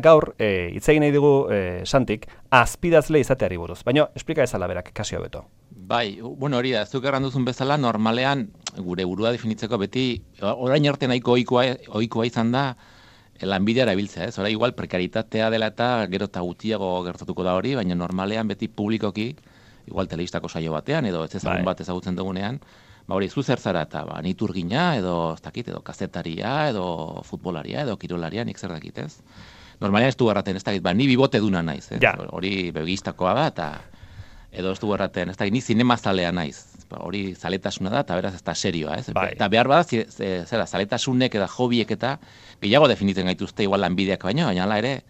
Gaur, hitz egin nahi dugu, Santik, azpidazle izateari buruz. Baina, esplika ezala berak, kasio beto. Bai, bueno, hori da, zuk erranduzun bezala, normalean, gure burua definitzeko beti, orain arte nahiko ohikoa izan da, lanbidea erabiltzea, ez? Hora, igual, prekaritatea dela eta gero eta gutiago gertatuko da hori, baina normalean beti publikoki, igual telebistako saio batean, edo ez ezagun bat ezagutzen dugunean, hori, zu zer zara eta niturgina, edo, ez dakit, edo kazetaria, edo futbolaria, edo kirolaria, nik zer dakit, ez? Normalean ez du erraten, ez dakit, ni bibote duna naiz, hori begistakoa da, eta edo ez du erraten, ez dakit, ni zinemazalea naiz, hori zaletasuna da, eta beraz ez da serioa, ez? Eta behar bada, zera, zaletasunek eta hobiek eta gehiago definitzen gaituzte igual lanbideak baino, baina hala ere,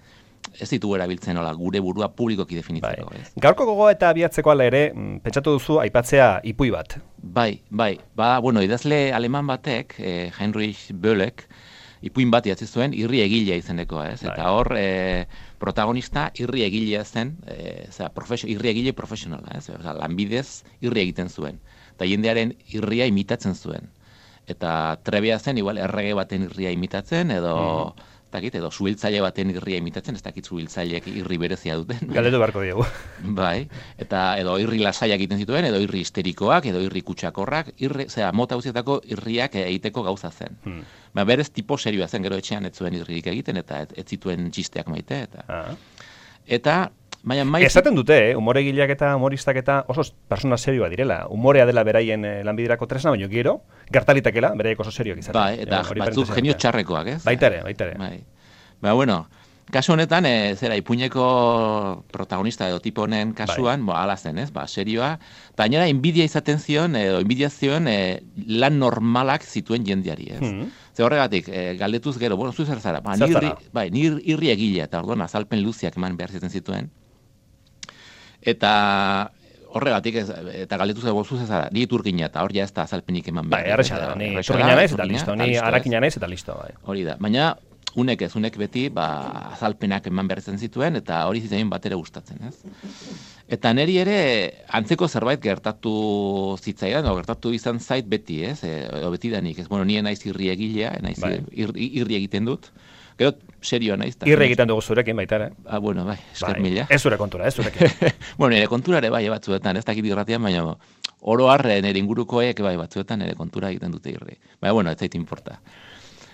ez ditugu erabiltzen hola, gure burua publikoki definitzeko. Gaurko gogoa eta abiatzeko ala ere, pentsatu duzu aipatzea ipui bat. Bai, bueno, idazle aleman batek, Heinrich Böllek, ipuin bat idatzi zuen irri egilea izenekoa, ez? Eta hor, protagonista irri egilea zen, irri egile profesionala, ez? Lanbidez irri egiten zuen. Eta jendearen irria imitatzen zuen. Eta trebea zen, igual, errege baten irria imitatzen, edo suhiltzaile baten irria imitatzen, ez dakit suhiltzaileek irri berezia duten. Galdetu beharko diegu. Bai, eta edo irri lasaiak egiten zituen, edo irri histerikoak, edo irri kutsakorrak, mota guztietako irriak egiteko gauza zen. Berez tipo serioa zen, gero etxean ez zuen irririk egiten, eta ez zituen txisteak maite. Eta esaten dute, umoregileak eta humoristak eta oso persona serioa direla. Umorea dela beraien lanbiderako tresna, baino gero, gertalitakela, beraiek oso serioak izaten. Bai, eta batzuk genio txarrekoak, ez? Baitare. Ba, bueno, kasu honetan, ipuineko protagonista edo tipo honen kasuan, ala zen, ez? Serioa, eta gainera inbidia izaten zion, edo inbidia zion lan normalak zituen jendeari, ez? Ze horregatik, galdetuz gero, bueno, zu zer zara? Ni irri egilea, eta orduan azalpen luziak eman behar zituen. Eta horregatik, eta galdetuz gero, zu zer zara? Ni iturgina, eta hor ja ez da azalpenik eman behar. Erresa da, ni iturgina naiz eta listo, ni harakina naiz eta listo. Hori da, baina unek beti azalpenak eman behar zituen, eta hori zitzen bat ere gustatzen, ez? Eta niri ere antzeko zerbait gertatu zitzaidan, edo gertatu izan zait beti, ez? Edo beti danik, ez? Bueno, nien naiz irri egilea, irri egiten dut. Gero, serioa naiz. Irri egiten dugu zurekin baita, bueno, bai, esker mila. Ez zure kontura, ez zurekin. Bueno, nire kontura ere bai batzuetan, ez dakit irratian, baina oro har nire ingurukoek bai batzuetan nire kontura egiten dute irri. Baina, bueno, ez zait importa.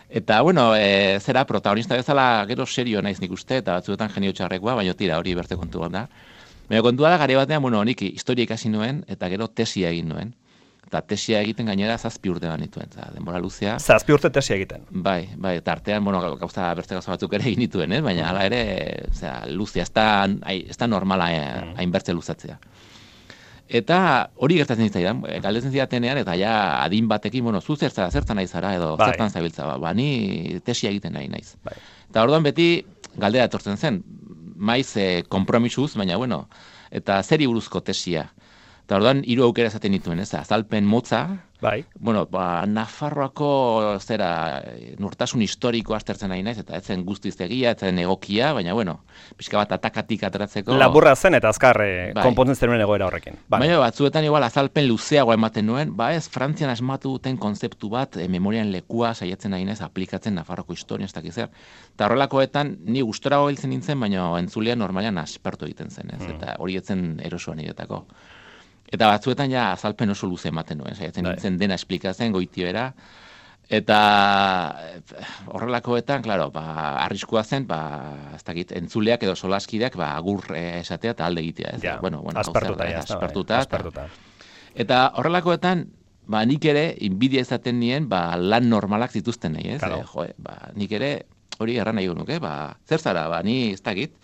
Eta, bueno, zera, protagonista bezala gero serioa naiz nik uste, eta batzuetan genio txarrekoa, baina tira, hori berte kontu da. Baina kontua da, gare batean, bueno, nik historia ikasi nuen, eta gero tesia egin nuen. Eta tesia egiten gainera 7 urte banituen, denbora luzea. 7 urte tesia egiten. Bai, eta artean, bueno, beste gauza batzuk ere egin dituen, baina hala ere, luzea, ez da normala hainbertze luzatzea. Eta hori gertatzen zitzaidan, galdetzen zidatenean, eta ja adin batekin, bueno, zu zertan nahi zara, edo zertan zabiltza, ni tesia egiten nahi naiz. Eta orduan beti galdera etortzen zen, maiz konpromisuz, baina, bueno, eta zeri buruzko tesia. Eta orduan, 3 aukera esaten dituen, ez? Azalpen motza, bueno, Nafarroako nurtasun historiko aztertzen nahi naiz, eta etzen guztiz egia, etzen egokia, baina, bueno, pixka bat atakatik ateratzeko. Laburra zen eta azkar konpontzen zenuen egoera horrekin. Baina, batzuetan igual azalpen luzeagoa ematen nuen, ez Frantzian asmatu duten konzeptu bat, memorian lekua saiatzen nahi naiz, aplikatzen Nafarroako historia, ez dakiz zer. Eta horrelakoetan, ni gustorago biltzen nintzen, baina entzulean normalean aspertu egiten zen, ez? Eta hori etzen erosoa niretako. Eta batzuetan ja azalpen oso luze ematen nuen, saiatzen nintzen dena esplikatzen goitiera. Eta horrelakoetan, klaro, arriskua zen, ez dakit, entzuleak edo solaskideak agur esatea eta alde egitea, ez? Bueno, aspertuta. Eta horrelakoetan, nik ere, inbidia izaten nien, lan normalak zituzten nahi, ez? Nik ere, hori erran nahi nuke, zer zara, ni ez dakit,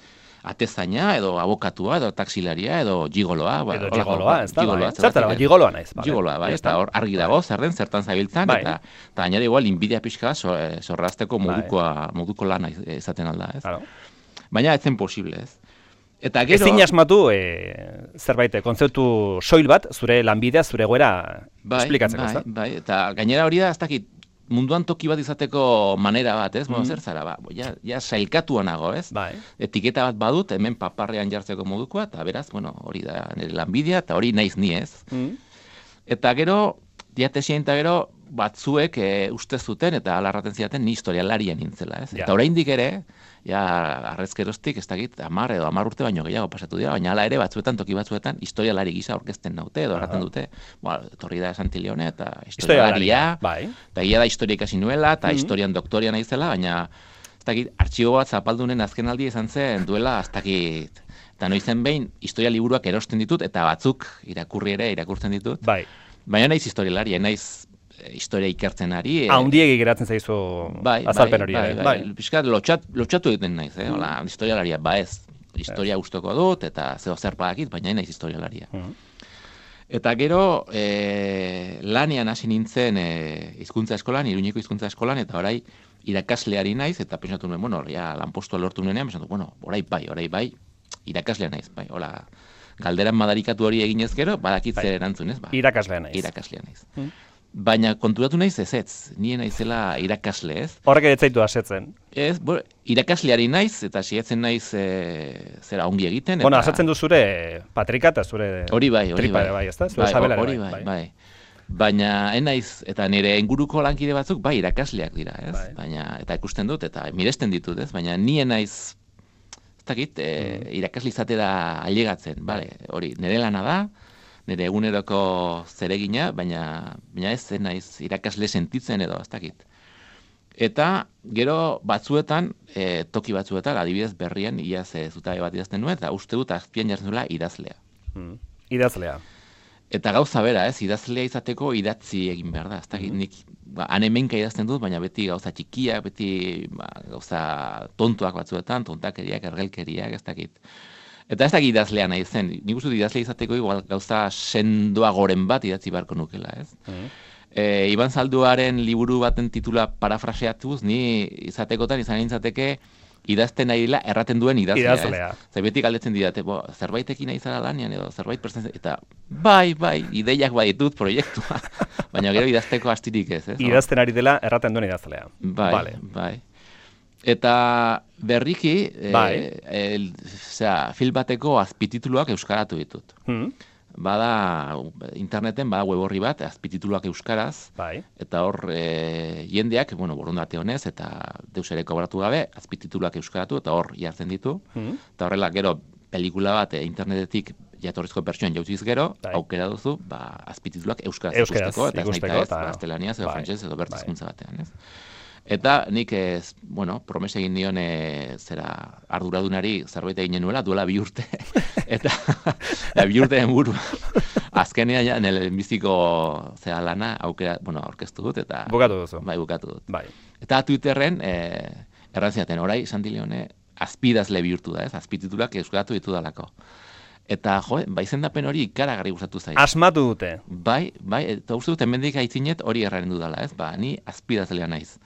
atezaina, edo abokatua, edo taksilaria, edo gigoloa. Edo gigoloa, ez da, zertara, gigoloa naiz. Gigoloa, eta hor argi dago, zertan zabiltzan, eta gainera igual inbidia pixka zorrazteko moduko lana izaten alda, ez? Baina ez zen posible, ez? Eta gero... Ezin asmatu, zerbait, kontzeptu soil bat, zure lanbidea, zure goera esplikatzeko, ez da? Bai, eta gainera hori da, ez dakit, munduan toki bat izateko manera bat, ez? Zer zara, ja sailkatua nago, ez? Etiketa bat badut, hemen paparrean jartzeko modukoa, eta beraz, bueno, hori da nire lanbidea, eta hori naiz ni, ez? Eta gero, diatesien eta gero, batzuek uste zuten eta alarraten zidaten ni historialarien nintzela, ez? Ja. Eta oraindik ere, ja, arrezkeroztik, ez dakit, 10 edo 10 urte baino gehiago pasatu dira, baina hala ere batzuetan, toki batzuetan, historialari gisa aurkezten naute, edo erraten dute, etorri da Santi Leone, eta historialaria, bai. eta egia da historia ikasi nuela, eta historian doktoria naizela, baina, ez dakit, artxibo bat zapaldunen azken aldi izan zen, duela, ez dakit, eta noizen behin, historia liburuak erosten ditut, eta batzuk irakurtzen ditut. Bai. Baina naiz historialaria, naiz historia ikertzen ari. Haundiegi geratzen zaizu azalpen hori. Bai. Piskat, lotxatu egiten naiz, hola, historialaria, ez. Historia gustoko dut, eta zeo zer badakit, baina naiz historialaria. Eta gero, lanean hasi nintzen hizkuntza eskolan, Iruñeko hizkuntza eskolan, eta orai irakasleari naiz, eta pensatu nuen, bueno, ja, lanpostua lortu nuenean, pensatu, bueno, orai bai, irakaslea naiz, bai, hola, galderan madarikatu hori eginez gero, badakit zer erantzunez, ba. Irakaslea naiz. Baina konturatu naiz ezetz, nien naizela irakasle, ez? Horrek ez zaitu asetzen. Ez, irakasleari naiz, eta sietzen naiz zera ongi egiten. Bueno, asetzen du zure patrika eta zure hori bai. Ezta? Zure sabelare bai. Baina naiz, eta nire inguruko lankide batzuk, bai, irakasleak dira, ez? Baina, eta ikusten dut, eta miresten ditut, ez? Baina nien naiz, ez dakit, irakasle izatera ailegatzen, bale, hori, nire lana da, nire eguneroko zeregina, baina ez naiz irakasle sentitzen edo, ez dakit. Eta gero batzuetan, toki batzuetan, adibidez berrien, iaz zutabe bat idazten nuen, eta uste dut azpian jartzen duela idazlea. Idazlea. Eta gauza bera, ez, idazlea izateko idatzi egin behar da, ez dakit, nik hemenka idazten dut, baina beti gauza txikiak, beti gauza tontuak batzuetan, tontakeriak, ergelkeriak, ez dakit. Eta ez dakit idazlea nahi zen, nik uste dut idazlea izateko igual gauza sendoa goren bat idatzi beharko nukela, ez? Iban Zalduaren liburu baten titula parafraseatuz, ni izatekotan izan nintzateke idazten nahi dela erraten duen idazlea. Zer beti galdetzen didate, zerbaitekin nahi zara lanean edo zerbait pertsen, eta bai, ideiak baditut proiektua, baina gero idazteko astirik ez. Idazten ari dela erraten duen idazlea. Bai. Eta berriki, film bateko azpitituluak euskaratu ditut. Bada, interneten, bada web horri bat, azpitituluak euskaraz, eta hor jendeak, borondate honez, eta deus ere kobratu gabe, azpitituluak euskaratu, eta hor jartzen ditu. Eta horrela, gero, pelikula bat jatorrizko jatorrizko pertsoan jauziz gero, aukera duzu, azpitituluak euskaraz ikusteko, eta ez nahi ez, gaztelaniaz edo frantsez edo bertizkuntza batean, ez? Eta nik promesa egin dion arduradunari zerbait egin nuela, duela 2 urte. Eta 2 urteen buru. Azkenean nire biziko lana aurkeztu dut. Eta bukatu duzu. Bai, bukatu dut. Eta Twitterren errantziaten, orai Santi Leone azpidazle bihurtu da, ez? Azpititulak euskaratu ditu dalako. Eta, izendapen hori ikaragarri gustatu zait. Asmatu dute. Bai, eta uste dut hemendik aitzinet hori erraren dudala, ez? Ni azpidazlea naiz.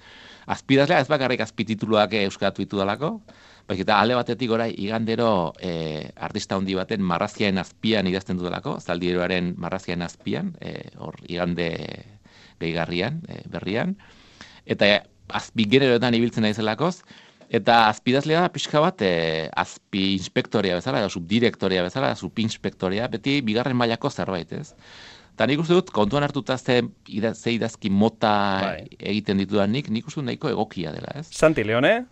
Azpidazlea ez bakarrik azpitituluak euskaratu ditu dalako, eta alde batetik orai igandero artista handi baten marrazkiaren azpian idazten dudalako, Zaldieroaren marrazkiaren azpian, hor igande gehigarrian, berrian, eta azpigeneroetan ibiltzen naizelakoz, eta azpidazlea da pixka bat azpi inspektorea bezala, edo subdirektorea bezala, subinspektorea, beti bigarren mailako zerbait, ez? Eta nik uste dut, kontuan hartuta ze idazki mota egiten ditudanik, nik uste dut nahiko egokia dela, ez? Santi Leone,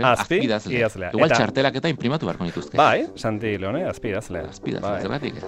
azpidazlea. Igual txartelak eta imprimatu beharko nituzke. Bai, Santi Leone, azpidazlea. Azpidazlea, zergatik.